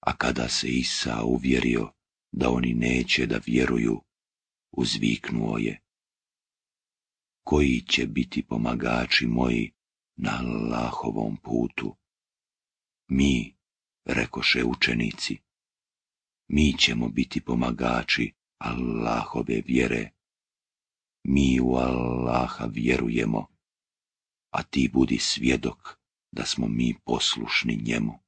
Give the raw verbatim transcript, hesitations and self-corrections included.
A kada se Isa uvjerio da oni neće da vjeruju, uzviknuo je: koji će biti pomagači moji na Allahovom putu? Mi, rekoše učenici, mi ćemo biti pomagači Allahove vjere. Mi u Allaha vjerujemo, a ti budi svjedok da smo mi poslušni njemu.